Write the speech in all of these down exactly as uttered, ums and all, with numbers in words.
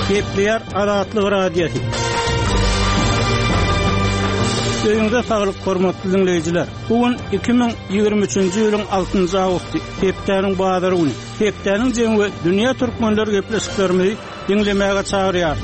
Gepleýär Azatlyk Radiosy. Öýüňize saglyk, hormatly diňleýjiler. Bu gün iki müň ýigrimi üçünji ýylyň altynjy awgusty, hepdäniň bazar güni. Hepdäniň jemi we dünýä türkmenleri gepleşiklerimizi diňlemäge çagyrýar.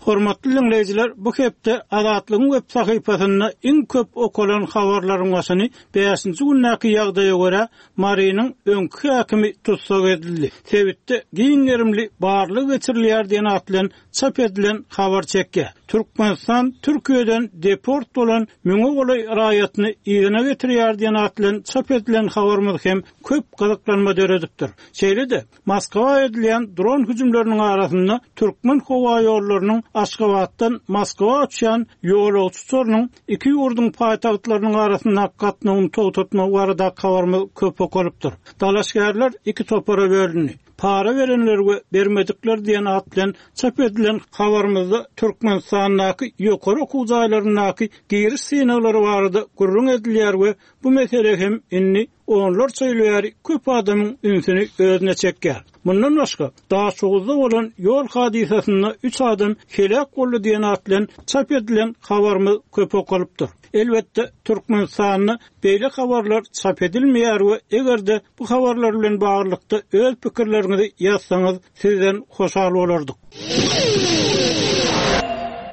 Hormatly diňleýjiler, bu hepde Azatlygyň web sahypasynda iň köp okalan habarlaryň başyny bäşinji gündäki ýagdaýa görä Marynyň öňki häkimi tussag edildi. Sebitde giň gerimli barlag geçirilýär diýen at bilen çap edilen habar çekýär. Türkmenistan Türkiýeden deport bolan müňe golaý raýatyny yzyna getirýär diýen at bilen çap edilen habarymyz hem köp gyzyklanma döredipdir. Şeýle-de Moskwa edilýän dron hüjümleriniň arasynda Türkmen howa ýollarynyň Aşgabatdan Moskwa uçýan ýolagçy uçarynyň iki ýurduň paýtagtlarynyň arasynda gatnawyny togtatmak barada habarymyz köp okalypdyr. Dalaşgärler iki topara bölündi. Para berenler we bermedikler diýen at bilen çap edilen habarymyzda Türkmenistandaky ýokary okuw jaýlaryndaky giriş synaglary barada gürrüň edilýär we bu mesele hem indi onlarça ýyl bäri köp adamyň ünsüni özüne çekýär. Mundan başga, Daşoguzda bolan ýol hadysasynda üç adam heläk boldy diýen at bilen çap edilen habarymyz köp okalypdyr. Elbetde Türkmenistanda beýle habarlar çap edilmeýär we eger-de bu habarlar bilen baglylykda öz pikirleriňizi ýazsaňyz sizden hoşal bolardyk.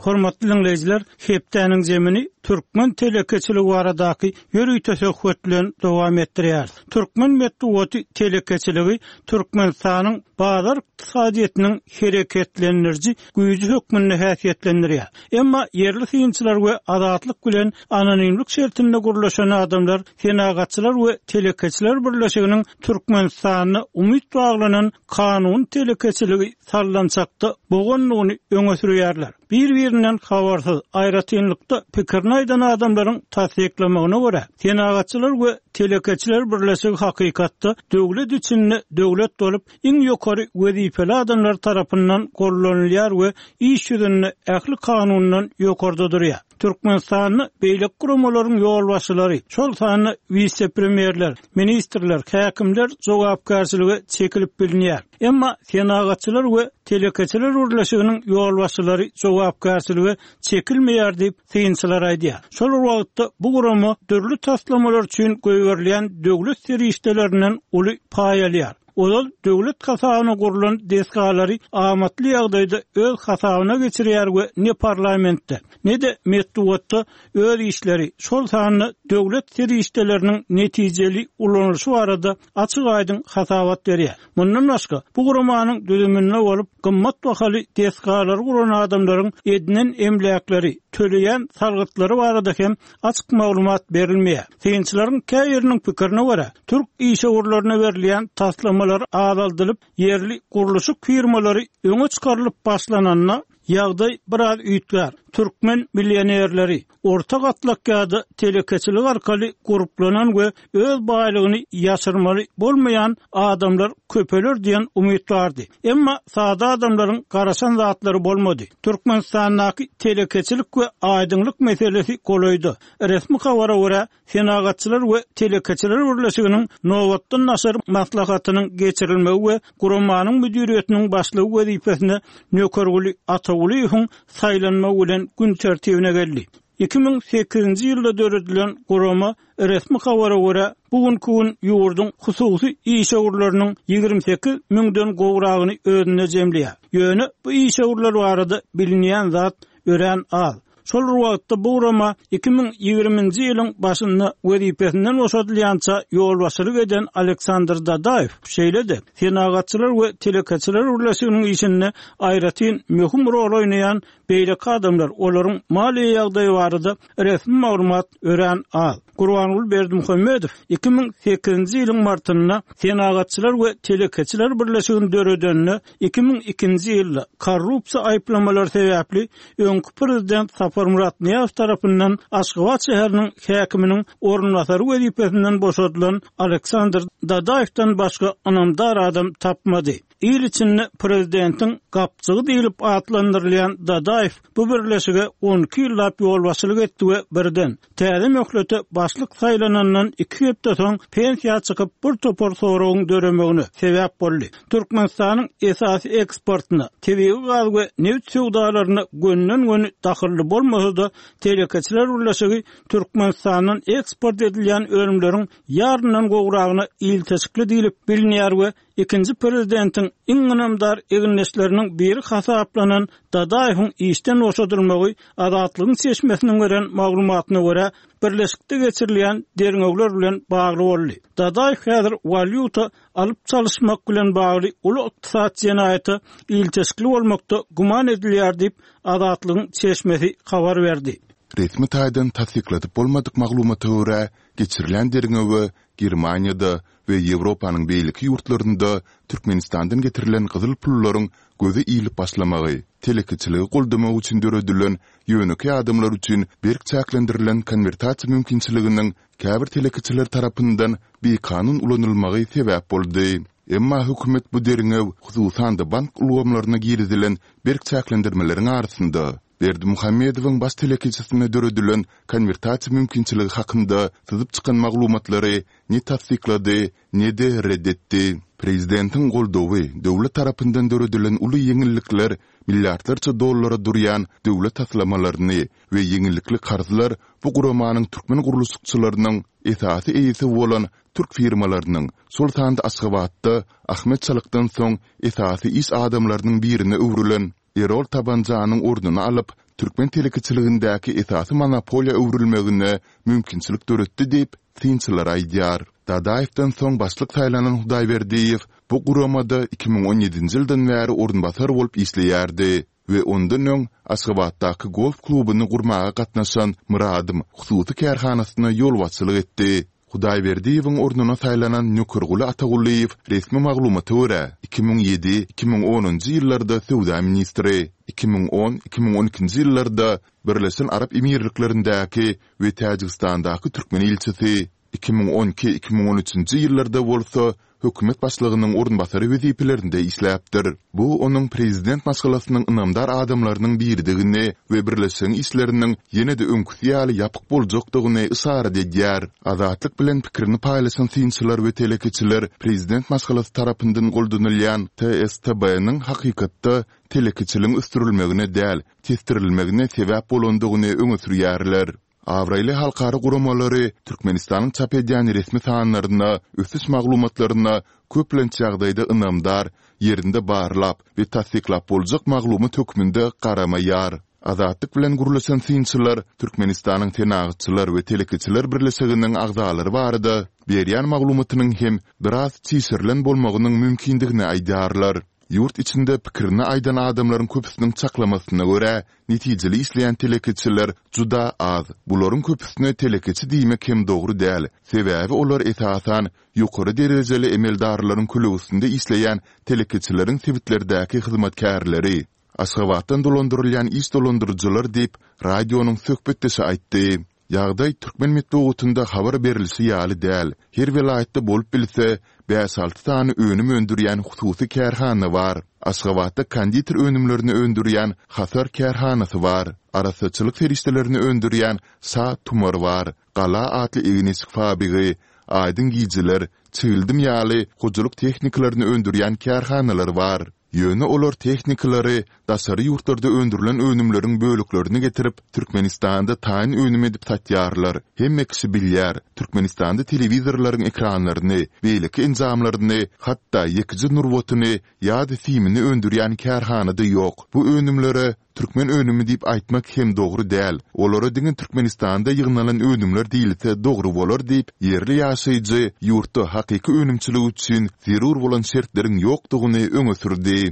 Hormatly dinleýjiler, hepdäniň zemini Türkmen telekeçiligi baradaky ýörite söhbet bilen dowam etdirýär. Türkmen metbugaty telekeçiligi Türkmenistanyň bazar ykdysadyýetiniň hereketlendiriji güýji hökmünde häsiýetlendirýär. Emma ýerli synçylar we azatlyk bilen anonimlik şertinde gurlaşan adamlar Senagatçylar we Telekeçiler Birleşiginiň Türkmenistanda umyt baglanan kanun telekeçiligi sallançakda boganlygyny öňe sürýärler. Bir-birinden habarsyz, aýratynlykda pikirini aýdan adamlaryň tassyklamagyna görä, Senagatçylar we Telekeçiler Birleşigi hakykatda döwlet içinde döwlet bolup, iň ýokary wezipeli adamlar tarapyndan gollanylýar we iş ýüzünde ähli kanundan ýokarda durýar. Türkmenistanda beýleki guramalaryň ýolbaşçylary, şol sanda wise-premýerler, ministrler, häkimler jogapkärçilige çekilip bilinýär. Emma Senagatçylar we Telekeçiler Birleşiginiň ýolbaşçylary jogapkärçilige çekilmeýär diýip synçylar aýdýar. Şol wagtda bu gurama dürli taslamalar üçin goýberilýän döwlet serişdelerinden uly paý alýar. Ozal döwlet hasabyna gurlan desgalary amatly ýagdaýda öz hasabyna geçirýär we ne parlamentde, ne-de metbugatda öz işleri, şol sanda döwlet serişdeleriniň netijeli ulanylyşy barada açyk aýdyň hasabat berýär. Mundan başga, bu guramanyň düzüminde bolup, gymmat bahaly desgalary guran adamlaryň edinen emläkleri, töleýän salgytlary barada hem açyk maglumat berilmeýär. Synçylaryň käbiriniň pikirine görä, türk işewürlerine berilýän taslamalar azaldylyp, ýerli gurluşyk firmalary öňe çykarylyp başlananda ýagdaý biraz üýtgär. Türkmen milyonerleri orta gatlak ýa-da telekeçilik arkaly gurplanan we öz baýlygyny ýaşyrmaly bolmaýan adamlar köpeler diýen umyt bardy. Emma sada adamlaryň garaşan zatlary bolmady. Türkmenistandaky telekeçilik we aýdyňlyk meselesi golaýda. Resmi habara görä, Senagatçylar we Telekeçiler Birleşiginiň nobatdan daşary maslahatynyň geçirilmegi we guramanyň müdiriýetiniň başlygy wezipesine Nökerguly Atagulyýewiň saýlanmagy bilen gün tertibine geldi. iki müň sekizinji ýylda döredilen gurama resmi habara görä, bu günkü gün ýurduň hususy işewürleriniň ýigrimi sekiz müňden gowragyny özünde jemleýär. Ýöne bu işewürler barada bilinýän zat örän az. Şol bir wagtda bu gurama iki müň ýigriminji ýylyň başynda wezipesinden boşadylýança ýolbaşçylyk eden Aleksandr Dadaýew, şeýle-de Senagatçylar we Telekeçiler Birleşiginiň işinde aýratyn möhüm rol oýnaýan beýleki adamlar, olaryň maliýe ýagdaýy barada resmi maglumat örän az. Gurbanguly Berdimuhamedow iki müň sekizinji ýylyň martynda Senagatçylar we Telekeçiler Birleşigini döredende iki müň ikinji ýylda korrupsiýa aýyplamalary sebäpli öňki prezident Saparmyrat Nyýazow tarapyndan Aşgabat şäheriniň häkiminiň orunbasary wezipesinden boşadylan Aleksandr Dadaýewden başga ynamdar adam tapmady. Il içinde prezidentiň gapjygy diýlip atlandyrylýan Dadaýew bu birleşige on iki ýyllap ýolbaşçylyk etdi we birden täze möhlete başlyk saýlanandan iki hepde soň pensiýa çykyp bir topar soragyň döremegine sebäp boldy. Türkmenistanyň esasy eksportyna, tebigy gaz we neft söwdalaryna gönden-göni dahylly bolmasa-da, telekeçiler birleşigi Türkmenistandan eksport edilýän önümleriň ýaryndan gowragyna ilteşikli diýlip bilinýär we ikinji prezidentiň iň ynamdar egindeşleriniň biri hasaplanan Dadaýewiň işden boşadylmagy Azatlygyň çeşmesiniň beren maglumatyna görä birleşikde geçirilýän derňewler bilen bagly boldy. Dadaýew häzir walýuta alyp çalyşmak bilen bagly uly ykdysat jenaýata ilteşikli bolmakda güman edilýär diýip Azatlygyň çeşmesi habar berdi. Resmi taýdan tassykladyp bolmadyk maglumata görä, geçirilen derňewe Germaniýada we Ýewropanyň beýleki ýurtlarynda Türkmenistandan getirilen gyzyl pullaryň göze ilip başlamagy, telekeçiligi goldamak üçin döredilen ýönekeý adamlar üçin berk çäklendirilen konwertasiýa mümkinçiliginiň käbir telekeçiler tarapyndan bikanun ulanylmagy sebäp boldy. Emma hökümet bu derňew, hususan-da bank ulgamlaryna girizilen berk çäklendirmeleriň arasynda Berdimuhamedowyň baş telekeçisine döredilen konwertasiýa mümkinçiligi hakynda syzyp çykan maglumatlary ne tassyklady, ne-de red etdi. Prezidentiň goldawy, döwlet tarapyndan döredilen uly ýeňillikler, milliardlarça dollara durýan döwlet taslamalaryny we ýeňillikli karzlar bu guramanyň türkmen gurluşykçylarynyň esasy eýesi bolan türk firmalarynyň, şol sanda Aşgabatda Ahmet Çalykdan soň esasy iş adamlarynyň birine öwrülen Erol Tabanjanyň ornuny alyp, türkmen telekeçiligindäki esasy monopoliýa öwrülmegine mümkinçilik döretdi diýip, synçylar aýdýar. Dadaýewden soň başlyk saýlanan Hudaýberdiýew bu guramada iki müň on ýedinji ýyldan bäri orunbasar bolup işleýärdi we ondan öň Aşgabatdaky golf klubuny gurmaga gatnaşan Myradym hususy kärhanasyna ýolbaşçylyk etdi. Hudaýberdiýewiň ornuna saýlanan Nökerguly Atagulyýew resmi maglumata görä, iki müň ýedi, iki müň onunjy ýyllarda söwda ministri, iki müň on, iki müň on ikinji ýyllarda Birleşen Arap Emirliklerindäki we Täjigistandaky türkmen ilçisi, iki müň on iki, iki müň on üçünji ýyllarda bolsa hökümet başlygynyň orunbasary wezipelerinde işläpdir. Bu onuň prezident maşgalasynyň ynamdar adamlarynyň biridigini we birleşigiň işleriniň ýene-de öňküsi ýaly ýapyk boljakdygyny yşarat edýär. Azatlyk bilen pikirini paýlaşan synçylar we telekeçiler prezident maşgalasy tarapyndan goldanylýan T S T B-niň hakykatda telekeçiligiň ösdürilmegine däl, tesdirilmegine sebäp bolandygyny öňe sürýärler. Abraýly halkara guramalary Türkmenistanyň çap edýän resmi sanlaryna, ösüş maglumatlaryna köplenç ýagdaýda ynamdar, ýerinde barlap we tassyklap boljak maglumat hökmünde garamaýar. Azatlyk bilen gürleşen synçylar Türkmenistanyň Senagatçylar we telekeçiler birleşiginiň agzalary barada berýän maglumatynyň hem biraz çişirilen bolmagynyň mümkindigini aýdýarlar. Ýurt içinde pikirini aýdan adamlaryň köpüsiniň çaklamasyna görä, netijeli işleýän telekeçiler juda az. Bularyň köpüsine telekeçi diýmek hem dogry däl, sebäbi olar esasan ýokary derejeli emeldarlaryň kölegesinde işleýän telekeçileriň sebitlerdäki hyzmatkärleri. Aşgabatdan dolandyrylýan iş dolandyryjylar diýip, radionyň söhbetdeşi aýtdy. Ýagdaý türkmen metbugatynda habar berlişi ýaly däl. Her welaýatda bolup bilse, bäş-alty sany önüm öndürýän hususy kärhana bar. Aşgabatda konditer önümlerini öndürýän Hasar kärhanasy bar. Arassaçylyk serişdelerini öndürýän Şa tumar bar. Gala atly egin-eşik fabrigi, Aýdyň gijeler, Çigildim ýaly hojalyk tehnikalaryny öndürýän kärhanalar bar. Ýöne olar tehnikalary, daşary ýurtlarda öndürilen önümleriň böleklerini getirip, Türkmenistanda taýyn önüm edip satýarlar. Hemme kişi bilýär, Türkmenistanda telewizorlaryň ekranlaryny, beýleki enjamlaryny, hatda ýekeje nurbatyny ýa-da simini öndürýän kärhana-da ýok. Bu önümlere türkmen önümi diýip aýtmak hem dogry däl. Olara diňe Türkmenistanda ýygnalan önümler diýilse dogry bolar diýip, ýerli ýaşaýjy ýurtda hakyky önümçilik üçin zerur bolan şertleriň ýokdugyny öňe sürdi.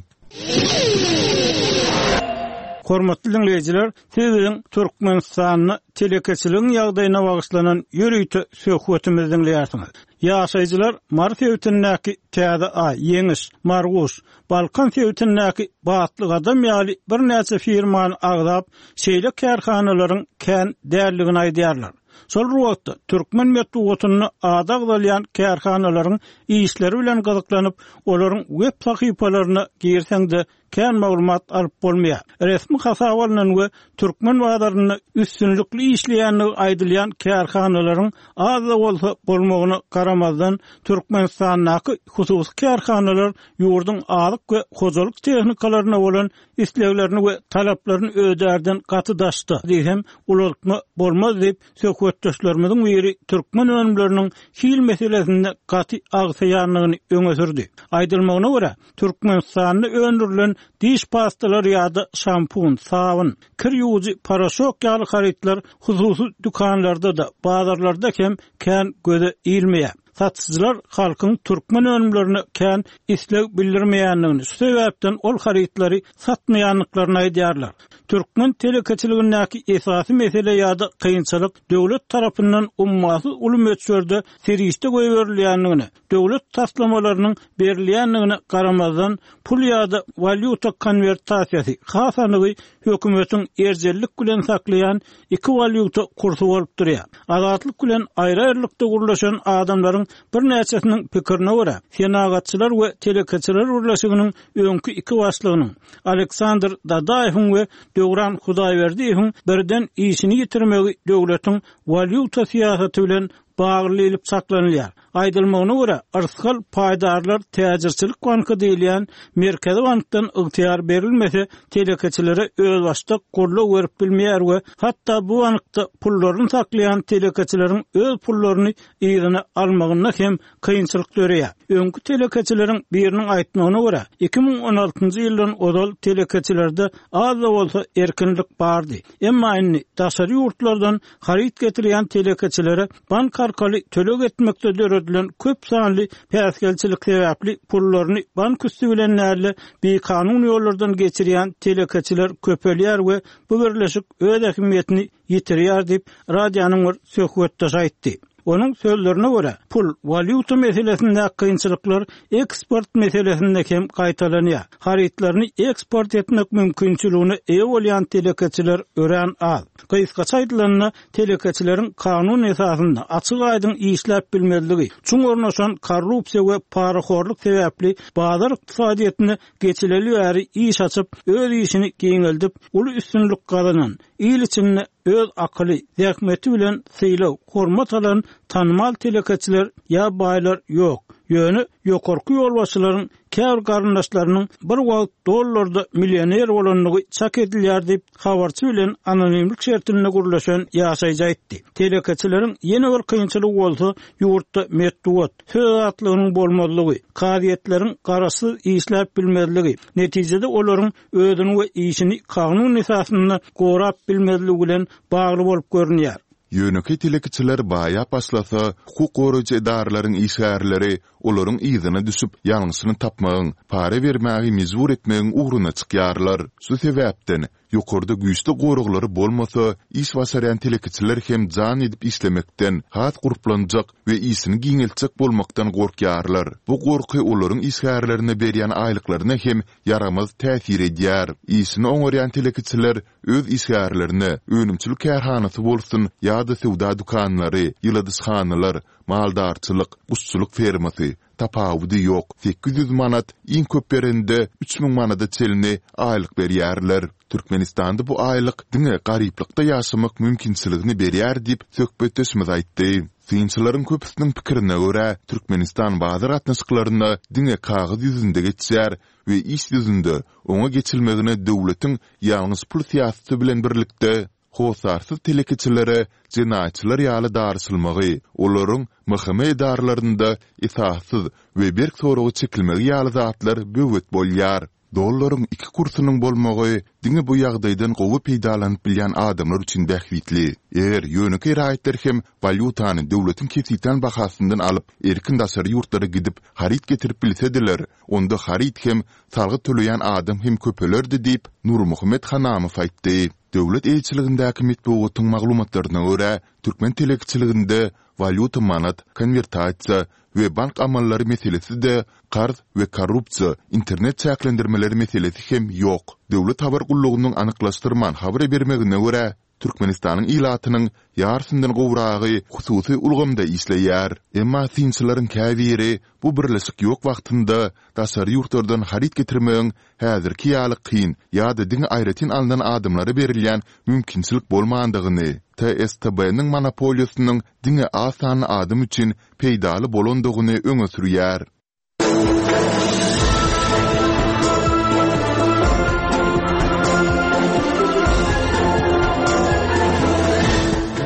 Hormatly diňleýjiler, siz biziň Türkmenistanda telekeçiligiň ýagdaýyna bagyşlanan ýörite söhbetimizi diňleýärsiňiz. Ýaşaýjylar Mary sebitindäki Täze Aý, Ýeňiş, Marguş, Balkan sebitindäki Batly Gadam ýaly birnäçe firmany agzap, şeýle kärhanalaryň kän däldigini aýdýarlar. Şol bir wagtda, türkmen metbugatynda ady agzalýan kärhanalaryň işleri bilen gyzyklanyp, olaryň web sahypalaryna girseň-de, kän maglumat alyp bolmaýar. Resmi hasaba alnan we türkmen bazarynda üstünlikli işleýändigi aýdylýan kärhanalaryň az-da bolsa bolmagyna garamazdan, Türkmenistandaky hususy kärhanalar ýurduň azyk we hojalyk tehnikalaryna bolan isleglerini we talaplaryny ödärden gaty daşda diýsem, ulaltma bolmaz diýip, söhbetdeşlerimiziň biri türkmen önümleriniň hil meselesinde gaty agsaýandygyny öňe sürdi. Aýdylmagyna görä, Türkmenistanda öndürilen diş pastalary ýa-da şampun, sabyn, kir ýuwujy poroşok ýaly harytlar hususy dükanlarda-da, bazarlarda hem kän göze ilmeýär. Satyjylar halkyň türkmen önümlerine kän isleg bildirmeýändigini, şu sebäpden ol harytlary satmaýandyklaryny aýdýarlar. Türkmen telekeçiligindäki esasy mesele ýa-da kynçylyk döwlet tarapyndan ummasyz uly möçberde serişde goýberilýändigine, döwlet taslamalarynyň berilýändigine garamazdan, pul ýa-da walýuta konwertasiýasy, has anygy hökümetiň erjellik bilen saklaýan iki walýuta kursy bolup durýar. Azatlyk bilen aýry-aýrylykda gürleşen adamlaryň birnäçesiniň pikirine görä, Senagatçylar we telekeçiler birleşiginiň öňki iki başlygynyň, Aleksandr Dadaýewiň we Döwran Hudaýberdiýewiň birden işini ýitirmegi döwletiň walýuta syýasaty bilen bagly diýlip çaklanylýar. Aýdylmagyna görä, Yrsgal paýdarlar täjirçilik banky diýilýän Merkezi bankdan ygtyýar berilmese, telekeçilere özbaşdak goldaw berip bilmeýär we hatda bu bankda pullaryny saklaýan telekeçileriň öz pullaryny yzyna almagynda hem kynçylyk döreýär. Öňki telekeçileriň biriniň aýtmagyna görä, iki müň on altynjy ýyldan ozal telekeçilerde az-da bolsa erkinlik bardy. Emma indi daşary ýurtlardan haryt getirýän telekeçilere bank arkaly töleg etmekde döredilen köp sanly päsgelçilik sebäpli pullaryny bank üsti bilen däl-de, bikanun ýollardan geçirýän telekeçiler köpelýär we bu birleşik öz ähmiýetini ýitirýär diýip, radionyň bir söhbetdeşi aýtdy. Onuň sözlerine görä, pul, walýuta meselesindäki kynçylyklar eksport meselesinde hem gaýtalanýar. Harytlaryny eksport etmek mümkinçiligine eýe bolýan telekeçiler örän az. Gysgaça aýdylanda, telekeçileriň kanun esasynda açyk-aýdyň işläp bilmezligi, çuň ornaşan korrupsiýa we parahorluk sebäpli bazar ykdysadyýetine geçileli bäri iş açyp, öz işini giňeldip, uly üstünlik gazanan, il içinde öz akyly, zähmeti bilen sylag, hormat alan tanymal telekeçiler ýa baýlar ýok. Ýöne ýokarky ýolbaşçylaryň käbir garyndaşlarynyň bir wagt dollarda millioner bolandygy çak edilýär diýip, habarçy bilen anonimlik şertinde gürleşen ýaşaýjy aýtdy. Telekeçileriň ýene bir kynçylygy bolsa, ýurtda metbugat, söz azatlygynyň bolmazlygy, kazyýetleriň garaşsyz işläp bilmezligi, netijede olaryň özüni we işini kanun esasynda gorap bilmezligi bilen bagly bolup görünýär. Ýönekeý telekeçiler baýap başlasa, hukuk goraýjy edaralaryň işgärleri olaryň yzyna düşüp, ýalňyşyny tapmagyň, para bermäge mejbur etmegiň ugruna çykýarlar. Şu sebäpden, ýokarda güýçli goraglary bolmasa, iş başarýan telekeçiler hem jan edip işlemekden, has gurplanjak we işini giňeltjek bolmakdan gorkýarlar. Bu gorky olaryň işgärlerine berýän aýlyklaryna hem ýaramaz täsir edýär. Işini oňarýan telekeçiler öz işgärlerine, önümçilik kärhanasy bolsun ýa-da söwda dükanlary, ýyladyşhanalar, maldarçylyk, guşçulyk fermasy, tapawudy ýok, sekiz ýüz manat, iň köp berende üç müň manada çenli aýlyk berýärler. Türkmenistanda bu aýlyk diňe garyplykda ýaşamak mümkinçiligini berýär diýip, söhbetdeşimiz aýtdy. Synçylaryň köpüsiniň pikirine görä, Türkmenistan bazar gatnaşyklaryna diňe kagyz ýüzünde geçýär we iş ýüzünde oňa geçilmegine döwletiň ýalňyş pul syýasaty bilen birlikde, hossarsyz telekeçilere jenaýatçylar ýaly daryşylmagy, olaryň M H M edaralarynda esassyz we berk soraga çekilmegi ýaly zatlar böwet bolýar. Dollaryň iki kursunyň bolmagy diňe bu ýagdaýdan gowy peýdalanyp bilýän adamlar üçin bähbitli. Eger ýönekeý raýatlar hem walýutany döwletiň kesgitlän bahasyndan alyp, erkin daşary ýurtlara gidip, haryt getirip bilsediler, onda haryt hem, salgyt töleýän adam hem köpelerdi diýip, Nurmuhammet Hanamow aýtdy. Döwlet eýeçiligindäki metbugatyň maglumatlaryna görä, türkmen telekeçiliginde walýuta-manat, konwertasiýa we bank amallary meselesi-de, karz we korrupsiýa, internet çäklendirmeleri meselesi hem ýok. Döwlet habar gullugynyň anyklaşdyrman habar bermegine görä, Türkmenistanyň ilatynyň ýarysyndan gowragy hususy ulgamda işleýär. Emma synçylaryň käbiri bu birleşik ýok wagtynda daşary ýurtlardan haryt getirmegiň häzirki ýaly kyn ýa-da diňe aýratyn alnan adamlara berilýän mümkinçilik bolmandygyny, TSTB-niň monopoliýasynyň diňe az sanly adam üçin peýdaly bolandygyny öňe sürýär.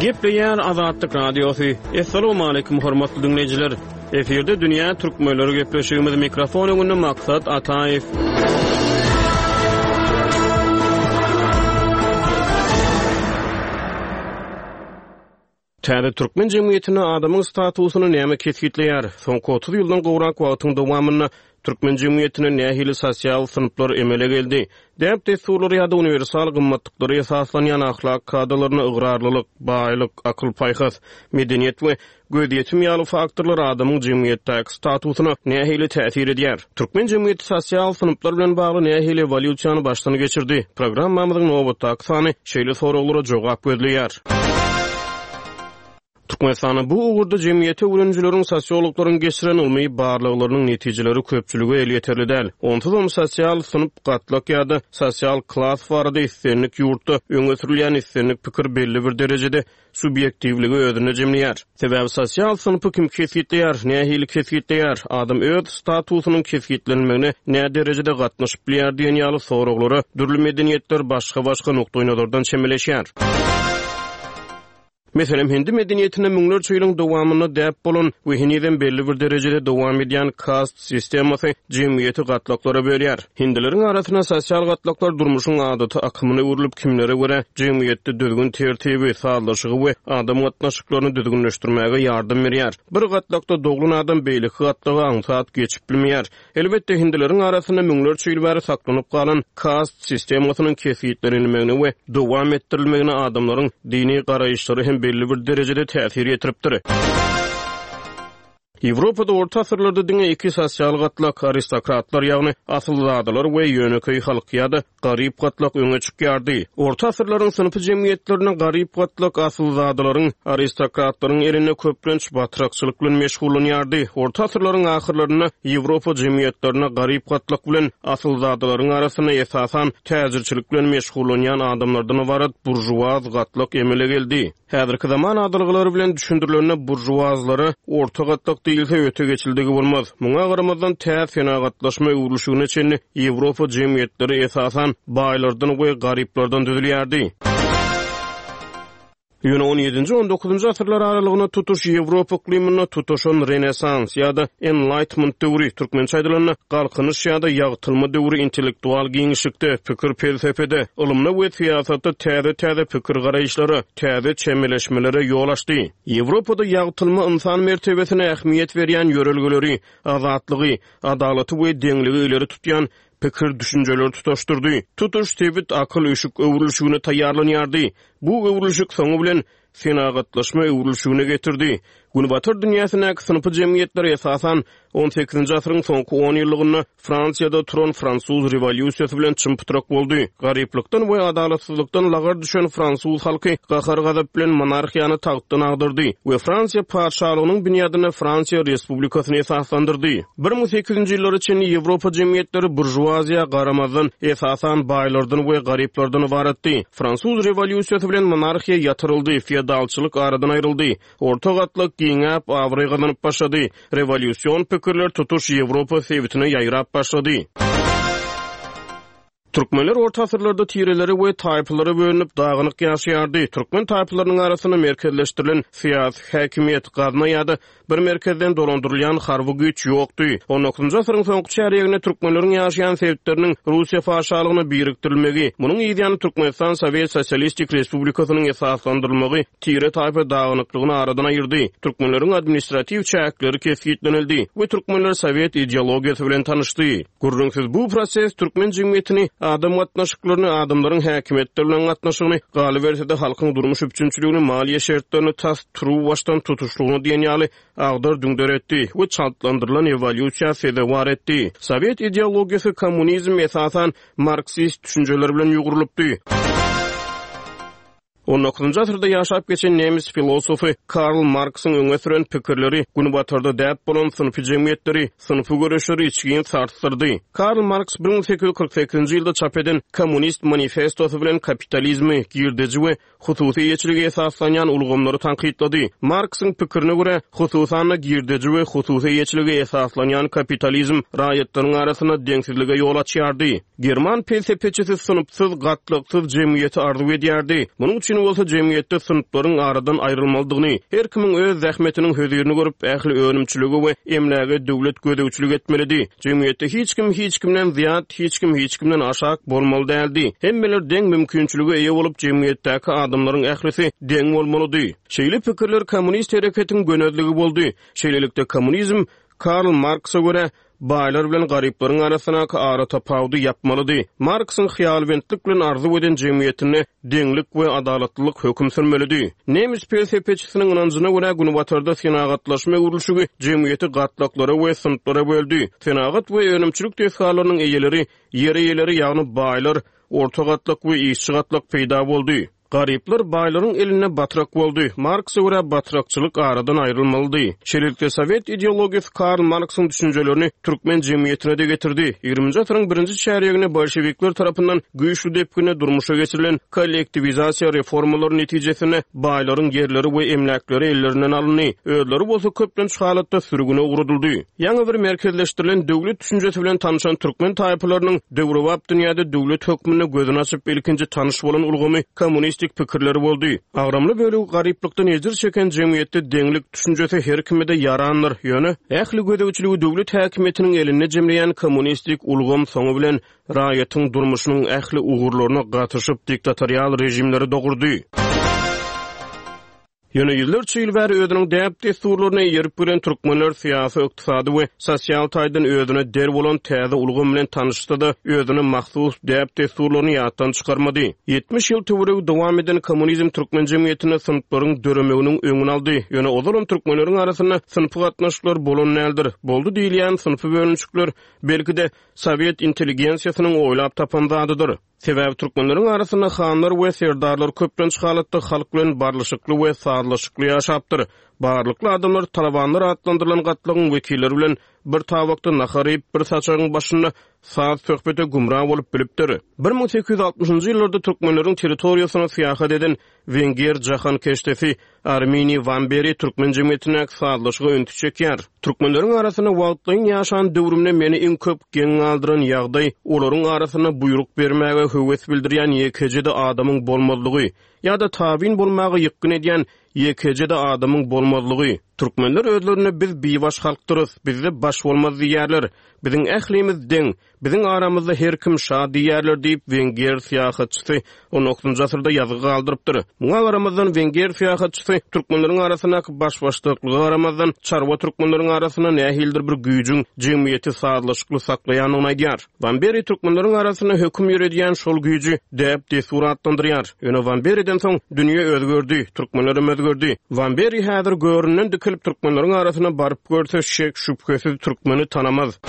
Gepleýär Azatlyk Radiosy. Assalamualaikum hormatly diňleýjiler. Efirde dünýä türkmenleri gepleşigimiz mikrofon öňünde Maksat Ataýew. Täze türkmen jemgyýetinde adamyň statusyny näme kesgitleýär? Soňky otuz ýyldan gowrak wagtyň dowamynda türkmen jemgyýetinde nähili sosial synplar emele geldi? Däp-dessurlara ýa-da uniwersal gymmatlyklara esaslanýan ahlak kadalaryna ygrarlylyk, baýlyk, akyl-paýhas, medeniýet we gözýetim ýaly faktorlar adamyň jemgyýetdäki statusyna nähili täsir edýär? Türkmen jemgyýeti sosial synplar bilen bagly nähili ewolýusiýany başdan geçirdi? Programmamyzyň nobatdaky sany şeýle soraglara jogap gözleýär. Türkmenistanda bu ugurda jemgyýeti öwrenijileriň, sosiologlaryň geçiren ylmy barlaglarynyň netijeleri köpçülige elýeterli däl. Onsuzam sosial synp, gatlak ýa-da sosial klas barada islendik ýurtda öňe sürülýän islendik pikir belli bir derejede subýektiwligi özünde jemleýär. Sebäbi sosial synpy kim kesgitleýär, nähili kesgitleýär, adam öz statusynyň kesgitlenmegine nä derejede gatnaşyp bilýär diýen ýaly soraglara dürli medeniýetler başga-başga nukdaýnazardan çemeleşýär. Meselem, hindi medeniýetinde müňlerçe ýylyň dowamynda däp bolan we henizem belli bir derejede dowam edýän kast sistemasy jemgyýeti gatlaklara bölýär. Hindileriň arasynda sosial gatlaklar durmuşyň adaty akymyna öwrülip, kimlere görä jemgyýetde düzgün-tertibi, sazlaşygy we adam gatnaşyklaryny düzgünleşdirmäge ýardam berýär. Bir gatlakda doglan adam beýleki gatlaga aňsat geçip bilmeýär. Elbetde, hindileriň arasynda müňlerçe ýyl bäri saklanyp galan kast sistemasynyň kesgitlenilmegine we dowam etdirilmegine adamlaryň dini garaýyşlary hem belli bir derejede täsir ýetiripdir. Ýewropada orta asyrlarda diňe iki sosial gatlak, aristokratlar, ýagny asylzadalar we ýönekeý halk ýa-da garyp gatlak öňe çykýardy. Orta asyrlaryň synpy jemgyýetlerinde garyp gatlak asylzadalaryň, aristokratlaryň elinde köplenç batrakçylyk bilen meşgullanýardy. Orta asyrlaryň ahyrlarynda Ýewropa jemgyýetlerinde garyp gatlak bilen asylzadalaryň arasynda esasan täjirçilik bilen meşgullanýan adamlardan ybarat buržuaz gatlak emele geldi. Häzirki zaman adalgalary bilen düşündirilende buržuazlara orta gatlak diýilse öte geçildigi bolmaz. Muňa garamazdan tä senagatlaşma öwrülişigine çenli Ýewropa jemgyýetleri esasan baýlardan we garyplardan düzülýärdi. Ýöne on ýedinji, on dokuzynjy asyrlar aralygynda tutuş Ýewropa yklymynda tutuşan Renesans ýa-da Enlightenment döwri, türkmençe aýdylanda galkynyş ýa-da ýagtylma döwri intellektual giňişlikde, pikir-pelsepede, ylymda we syýasatda täze-täze pikir-garaýyşlara, täze çemeleşmelere ýol açdy. Ýewropada ýagtylma ynsan mertebesine ähmiýet berýän ýörelgeleri, azatlygy, adalaty we deňligi ileri tutýan pikir-düşünjeleri tutaşdyrdy. Tutuş sebit akyl-üşük öwrülişigine taýýarlanýardy. Bu öwrülişik soňy bilen senagatlaşma öwrülişigine getirdi. Günbatar dünýäsindäki synpy jemgyýetler esasan on sekizinji asyryň soňky on ýyllygynda Fransiýada turan fransuz rewolýusiýasy bilen çym-pytrak boldy. Garyplykdan we adalatsyzlykdan lagar düşen fransuz halky gahar-gazap bilen monarhiýany tagtdan agdardy we Fransiýa patyşalygynyň binýadynda Fransiýa Respublikasyny esaslandyrdy. Bir müň sekiz ýüzünji ýyllara çenli Ýewropa jemgyýetleri buržuaziýa garamazdan esasan baýlardan we garyplardan ybaratdy. Fransuz rewolýusiýasy bilen monarhiýa ýatyryldy, feodalçylyk aradan aýryldy. Orta gatlak giňäp, abraý gazanyp başlady. Rewolýusion pikirler tutuş Ýewropa sebitine ýaýrap başlady. Türkmenler orta asyrlarda tirelere we taýpalara bölünip dagynyk ýaşaýardy. Türkmen taýpalarynyň arasynda merkezleşdirilen syýasy häkimiýet, gazna ýa-da bir merkezden dolandyrylýan harby güýç ýokdy. On dokuzynjy asyryň soňky çärýeginde türkmenleriň ýaşaýan sebitleriniň Russiýa patyşalygyna birikdirilmegi, munuň yzýany Türkmenistan Sowet Sosialistik Respublikasynyň esaslandyrylmagy tire taýpa dagynyklygyny aradan aýyrdy. Türkmenleriň administratiw çäkleri kesgitlenildi we türkmenler sowet ideologiýasy bilen tanyşdy. Gürrüňsiz bu proses türkmen jemgyýetini, adam gatnaşyklaryny, adamlaryň häkimiýetler bilen gatnaşygyny, galyberse-de halkyň durmuş üpjünçiligini, maliýe şertlerini tas turuwbaşdan tutuşlygyna diýen ýaly agdar-düňder etdi we çaltlandyrylan ewolýusiýa sezewar etdi. Sowet ideologiýasy kommunizm esasan marksist düşünjeler bilen ýugrulypdy. On dokuzynjy asyrda ýaşap geçen nemes filosofy Karl Marksyň öňe süren pikirleri Günbatarda däp bolan synpy jemgyýetleri, synpy göreşleri içgin sarsdyrdy. Karl Marks bir müň sekiz ýüz kyrk sekizinji ýylda çap eden Kommunist manifestosy bilen kapitalizmi, girdeji we hususy eýeçilige esaslanýan ulgamlary tankytlady. Marksyň pikirine görä, hususan-da girdeji we hususy eýeçilige esaslanýan kapitalizm raýatlaryň arasynda deňsizlige ýol açýardy. German pelsepeçisi synpsyz, gatlaksyz jemgyýeti arzuw edýärdi. Munuň üçin bolsa jemgyýetde synplaryň aradan aýrylmalydygyny, her kimiň öz zähmetiniň hözirini görüp, ähli önümçilige we emläge döwlet gözegçilik etmelidi. Jemgyýetde hiç kim hiç kimden zyýat, hiç kim hiç kimden aşak bolmaly däldi. Hemmeler deň mümkinçilige eýe bolup, jemgyýetdäki adamlaryň ählisi deň bolmalydy. Şeýle pikirler kommunist hereketiň gönezligi boldy. Şeýlelikde, kommunizm Karl Marksa görä, baýlar bilen garyplaryň arasyndaky aratapawudy ýapmalydy. Marksyň hyýalbentlik bilen arzuw eden jemgyýetinde deňlik we adalatlylyk höküm sürmelidi. Nemes pelsepeçisiniň ynanjyna görä, Günbatarda senagatlaşma öwrülişigi jemgyýeti gatlaklara we synplara böldi. Senagat we önümçilik desgalarynyň eýeleri, ýer eýeleri, ýagny baýlar, orta gatlak we işçi gatlak peýda boldy. Garyplar baýlaryň elinde batrak boldy. Marksa görä batrakçylyk aradan aýrylmalydy. Şeýlelikde sowet ideologiýasy Karl Marksyň düşünjelerini türkmen jemgyýetine-de getirdi. Ýigriminji asyryň birinji çärýeginde bolşewikler tarapyndan güýçli depginde durmuşa geçirilen kollektiwizasiýa reformalary netijesinde baýlaryň ýerleri we emläkleri ellerinden alyndy. Özleri bolsa köplenç halatda sürgüne ugradyldy. Ýaňy bir merkezleşdirilen döwlet düşünjesi bilen tanşan türkmen taýpalarynyň döwrebap dünýäde döwlet hökmünde gözüni açyp ilkinji tanyş bolan ulgamy kommunistik pikirleri boldy. Agramly bölegi garyplykdan ejir çeken jemgyýetde deňlik düşünjesi her kime-de ýarandyr. Ýöne ähli gözegçiligi döwlet häkimiýetiniň elinde jemleýän kommunistik ulgam soňy bilen raýatyň durmuşynyň ähli ugurlaryna gatyşyp diktatorial režimleri dogurdy. Ýöne ýüzlerçe ýyl bäri özüniň däp-dessurlaryna eýerip gelen türkmenler syýasy, ykdysady we sosial taýdan özüne der bolan täze ulgam bilen tanyşsa-da, özüne mahsus däp-dessurlaryny ýatdan çykarmady. Ýetmiş ýyl töweregi dowam eden kommunizm türkmen jemgyýetinde synplaryň döremeginiň öňüni aldy. Ýöne ozalam türkmenleriň arasynda synpy gatnaşyklar bolan däldir. Boldy diýilýän synpy bölünişikler belki-de sowet intelligensiýasynyň oýlap tapan zadydyr. Sebäbi türkmenleriň arasynda hanlar we serdarlar köplenç halatda halk bilen barlyşykly we sazlaşykly ýaşapdyr. Barlykly adamlar talabanlar atlandyrylan gatlagyň wekilleri bilen bir tabakda nahar iýip, bir saçagyň başynda saz söhbete gümra bolup bilipdir. Bir müň sekiz ýüz altmyşynjy ýyllarda türkmenleriň territoriýasyna syýahat eden wenger jahankeşdesi Arminiý Wamberi türkmen jemgyýetindäki sazlaşyga ünsi çekýär. Türkmenleriň arasynda wagtlaýyn ýaşan döwrümde meni iň köp geň galdyran ýagdaý olaryň arasynda buýruk bermäge höwes bildirýän ýekeje-de adamyň bolmazlygy ýa-da tabyn bolmaga ýykgyn edýän ýekeje-de adamyň bolmazlygy. Türkmenler özlerine biz bibaş halkdyrys, bizde baş bolmaz diýýärler. Biziň ählimiz deň, biziň aramyzda her kim şa diýýärler diýip wenger syýahatçysy on dokuzynjy asyrda ýazgy galdyrypdyr. Muňa garamazdan wenger syýahatçysy türkmenleriň arasyndaky baş-başdaklyga garamazdan çarwa türkmenleriň arasynda nähilidir bir güýjüň jemgyýeti sazlaşykly saklaýandygyny aýdýar. Wamberi türkmenleriň arasynda höküm ýöredýän şol güýji däp-dessur atlandyrýar. Ýöne Wamberiden soň dünýe özgerdi, türkmenlerem özgerdi. Wamberi häzir göründen dikilip türkmenleriň arasyna baryp görse şek şübhesiz türkmeni tanamaz.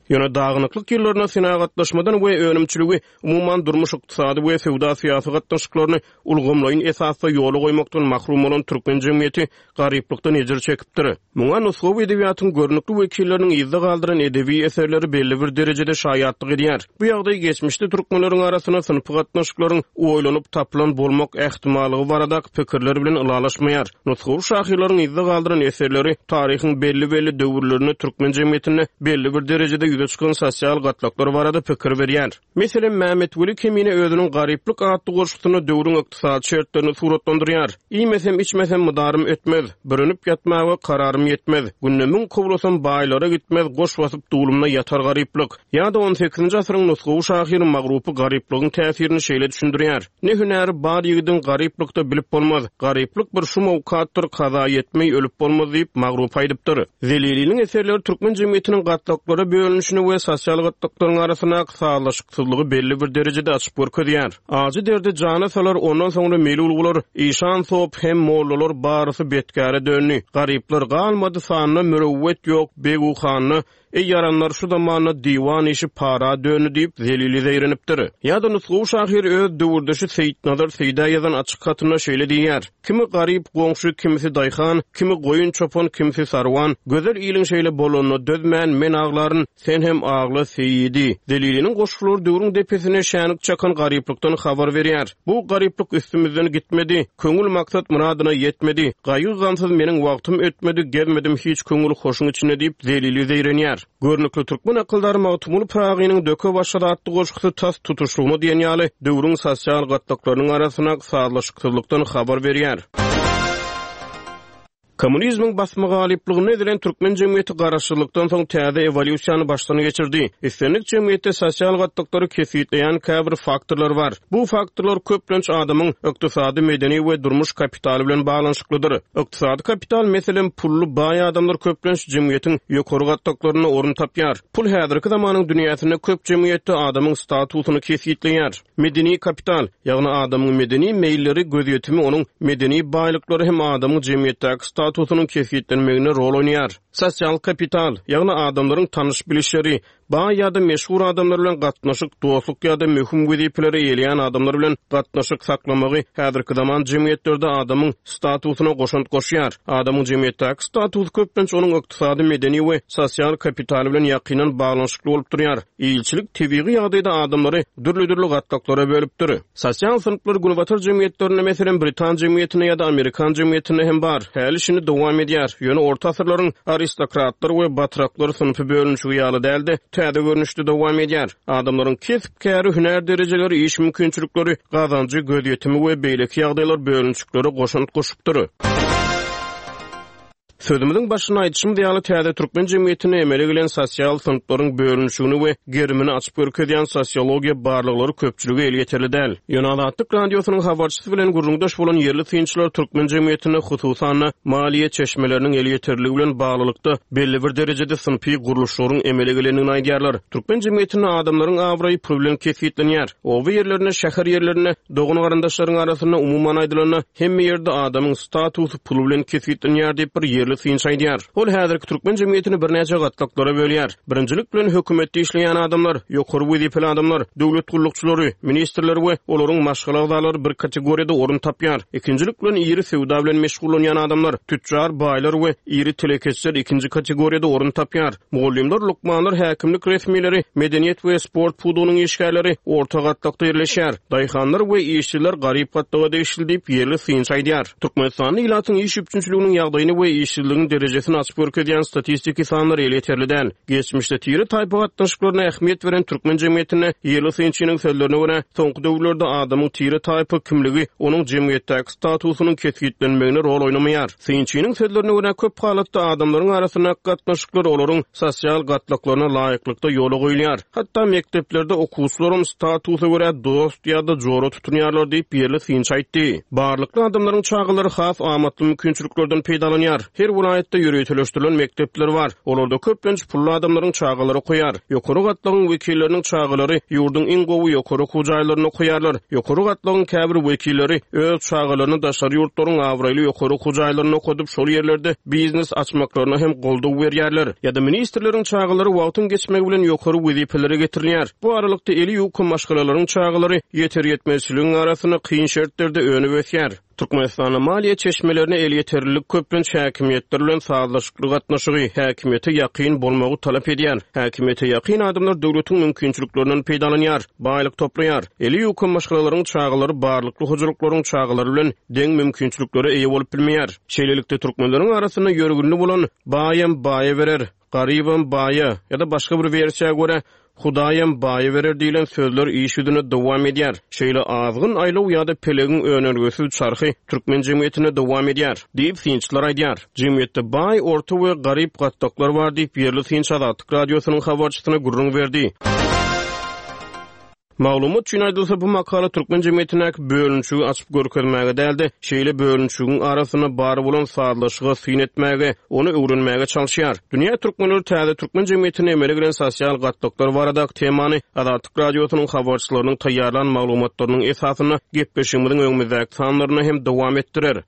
Ýöne dagynyklyk ýyllarynda senagatlaşmadan we önümçiligi umuman durmuş ykdysady we söwda syýasy gatnaşyklaryny ulgamlaýyn esasda ýola goýmakdan mahrum bolan türkmen jemgyýeti garyplykdan ejir çekipdir. Muňa nusgawy edebiýatyň görnükli wekilleriniň yzda galdyran edebi eserleri belli bir derejede şaýatlyk edýär. Bu ýagdaý geçmişde türkmenleriň arasynda synpy gatnaşyklaryň oýlanyp tapylan bolmak ähtimallygy baradaky pikirler bilen ylalaşmaýar. Nusgawy şahyrlaryň yzda galdyran eserleri taryhyň belli-belli döwürlerinde türkmen jemgyýetinde belli bir derejede ýüze çykan sosial gatlaklar barada pikir berýär. Meselem, Mämmetweli Kemine özüniň Garyplyk atly goşgusynda döwrüň ykdysady şertlerini suratlandyrýar. Iýmesem, içmesem mydarym ötmez, bürünip ýatmaga kararym ýetmez. Günde müň kowlasam baýlara gitmez, goş basyp dulumda ýatar garyplyk. Ýa-da on sekizinji asyryň nusgawy şahyry Magrupy garyplygyň täsirini şeýle düşündirýär. Ne hünäri bar ýigidiň garyplykda bilip bolmaz. Garyplyk bir şum owkatdyr, kaza ýetmey ölüp bolmaz diýip Magrupy aýdypdyr. Zeliliniň eserleri türkmen jemgyýetiniň gatlaklara bölünişini we sosial gatlaklaryň arasyndaky sazlaşyksyzlygy belli bir derejede açyp görkezýär. Ajy derdi jana salar, ondan soňra melul bolar, işan sop hem mollalar barysy betkäre döndi. Garyplar galmady sanda, mürewwet ýok, begu handa, Eý ýaranlar, şu zamanda diwan işi para döndi diýip, Zelili zeýrenipdir. Ýa-da nusgawy şahyr öz döwürdeşi Seýitnazar Seýdä ýazan açyk hatynda şeýle diýýär, Kimi garyp goňşy, kimisi daýhan, kimi goýun çopan, kimsi sarwan, gözel iliň şeýle bolanyna dözmän, men aglaryn, sen hem agla, Seýidi. Zeliliniň goşgulary döwrüň depesine şänik çakan garyplykdan habar berýär. Bu garyplyk üstümizden gitmedi, köňül maksat-myradyna ýetmedi, gaýgy-gamsyz meniň wagtym ötmedi, gezmedim hiç köňül hoşuň içinde diýip, Zelili zeýrenýär. Görnükli türkmen akyldary Magtymguly Pyragynyň Döke başlady atly goşgusy tas tutuşlygyna diýen ýaly döwrüň sosial gatlaklarynyň arasyndaky sazlaşyksyzlykdan habar berýär. Kommunizmiň basma-galyplygynda ezilen türkmen jemgyýeti garaşsyzlykdan soň täze ewolýusiýany başdan geçirdi. Islendik jemgyýetde sosial gatlaklary kesgitleýän käbir faktorlar bar. Bu faktorlar köplenç adamyň ykdysady, medeni we durmuş kapitaly bilen baglanyşyklydyr. Ykdysady kapital, meselem, pully, baý adamlar köplenç jemgyýetiň ýokary gatlaklarynda orun tapýar. Pul häzirki zamanyň dünýäsinde köp jemgyýetde adamyň statusyny kesgitleýär. Medeni kapital, ýagny adamyň medeni meýilleri, gözýetimi, onuň medeni baýlyklary hem adamyň jemgyýetdäki statusynyň kesgitlenmeginde rol oýnaýar. Sosial kapital, ýagny adamlaryň tanyş-bilişleri, baý ýa-da meşhur adamlar bilen gatnaşyk, dostluk ýa-da möhüm wezipeleri eýeleýän adamlar bilen gatnaşyk saklamagy häzirki zaman jemgyýetlerde adamyň statusyna goşant goşýar. Adamyň jemgyýetdäki statusy köplenç onuň ykdysady, medeni we sosial kapitaly bilen ýakyndan baglanyşykly bolup durýar. Ilçilik tebigy ýagdaýda adamlary dürli-dürli gatlaklara bölüpdir. Sosial synplar günbatar jemgyýetlerinde, meselem, britan jemgyýetinde ýa-da amerikan jemgyýetinde hem bar. Häli-şindi dowam edýär. Ýöne orta asyrlaryň aristokratlar we batraklar synpy bölünişigi ýaly däl-de, täze görnüşde dowam edýär. Adamlaryň kesp-käri, hünär derejeleri, iş mümkinçilikleri, gazanjy, gözýetimi we beýleki ýagdaýlar bölünişiklere goşant goşupdyr. Sözümiziň başynda aýdyşymyz ýaly, täze türkmen jemgyýetinde emele gelen sosial synplaryň bölünişigini we gerimini açyp görkezýän sosiologiýa barlaglary köpçülige elýeterli däl. Ýöne Azatlyk Radiosynyň habarçysy bilen gürrüňdeş bolan ýerli synçylar türkmen jemgyýetinde hususan-da maliýe çeşmeleriniň elýeterliligi bilen baglylykda belli bir derejede synpy gurluşlaryň emele gelendigini aýdýarlar. Türkmen jemgyýetinde adamlaryň abraýy pul bilen kesgitlenýär. Oba ýerlerinde, şäher ýerlerinde, dogan-garyndaşlaryň arasynda, umuman aýdylanda, hemme ýerde adamyň statusy pul bilen kesgitlenýär diýip, bir ýerli synçy aýdýar. Ol häzirki türkmen jemgyýetini birnäçe gatlaklara bölýär. Birinjilik bilen hökümetde işleýän adamlar, ýokary wezipeli adamlar, döwlet gullukçylary, ministrler we olaryň maşgala agzalary bir kategoriýada orun tapýar. Ikinjilik bilen iri söwda bilen meşgullanýan adamlar, tütjar, baýlar we iri telekeçiler ikinji kategoriýada orun tapýar. Mugallymlar, lukmanlar, häkimlik resmileri, medeniýet we sport pudagynyň işgärleri orta gatlakda ýerleşýär. Daýhanlar we işçiler garyp gatlaga degişli diýip, ýerli synçy aýdýar. Türkmenistanda ilatyň iş üpjünçiliginiň ýagdaýyny we işsizligiň derejesini açyp görkezýän statistiki sanlar elýeterli däl. Geçmişde tire-taýpa gatnaşyklaryna ähmiýet beren türkmen jemgyýetinde ýerli synçynyň sözlerine görä, soňky döwürlerde adamyň tire-taýpa kimligi onuň jemgyýetdäki statusynyň kesgitlenmegine rol oýnamaýar. Synçynyň sözlerine görä, köp halatda adamlaryň arasyndaky gatnaşyklar olaryň sosial gatlaklaryna laýyklykda ýola goýulýar. Hatda mekdeplerde okuwçylaram statusa görä dost ýa-da jora tutunýarlar diýip, ýerli synçy aýtdy. Barlykly adamlaryň çagalary has amatly mümkinçiliklerden peýdalanýar. Her welaýatda ýöriteleşdirilen mekdepler bar. Olarda köplenç pully adamlaryň çagalary okaýar. Ýokary gatlagyň wekilleriniň çagalary ýurduň iň gowy ýokary okuw jaýlarynda okaýarlar. Ýokary gatlagyň käbir wekilleri öz çagalaryny daşary ýurtlaryň abraýly ýokary okuw jaýlarynda okadyp, şol ýerlerde biznes açmaklaryna hem goldaw berýärler. Ýa-da ministrleriň çagalary wagtyň geçmegi bilen ýokary wezipelere getirilýär. Bu aralykda eli ýuka maşgalalaryň çagalary ýeter-ýetmezçiligiň arasynda kyn şertlerde önüp ösýär. Türkmenistanda maliýe çeşmelerine elýeterlilik köplenç häkimiýetler bilen sazlaşykly gatnaşygy, häkimiýete ýakyn bolmagy talap edýär. Häkimiýete ýakyn adamlar döwletiň mümkinçiliklerinden peýdalanýar, baýlyk toplaýar. Eli ýuka maşgalalaryň çagalary barlykly hojalyklaryň çagalary bilen deň mümkinçiliklere eýe bolup bilmeýär. Şeýlelikde, türkmenleriň arasynda ýörgünli bolan baýam baýa berer, garybam baýa ýa-da başga bir wersiýa görä, Hudaýam baýa berer diýlen sözler iş ýüzünde dowam edýär. Şeýle azgyn aýlaw ýa-da pelegiň önelgesiz çarhy türkmen jemgyýetinde dowam edýär, diýip, synçylar aýdýar. Jemgyýetde baý, orta we garyp gatlaklar bar diýip, ýerli synçy Azatlyk Radiosynyň habarçysyna gürrüň berdi. Maglumat üçin aýdylsa, bu makala türkmen jemgyýetindäki bölünişigi açyp görkezmäge däl-de, şeýle bölünişigiň arasynda bar bolan sazlaşyga syn etmäge, ony öwrenmäge çalyşýar. Dünýä türkmenleri täze türkmen jemgyýetinde emele gelen sosial gatlaklar baradaky temany Azatlyk Radiosynyň habarçylarynyň taýýarlan maglumatlarynyň esasynda gepleşigimiziň öňümizdäki sanlarynda hem dowam etdirer.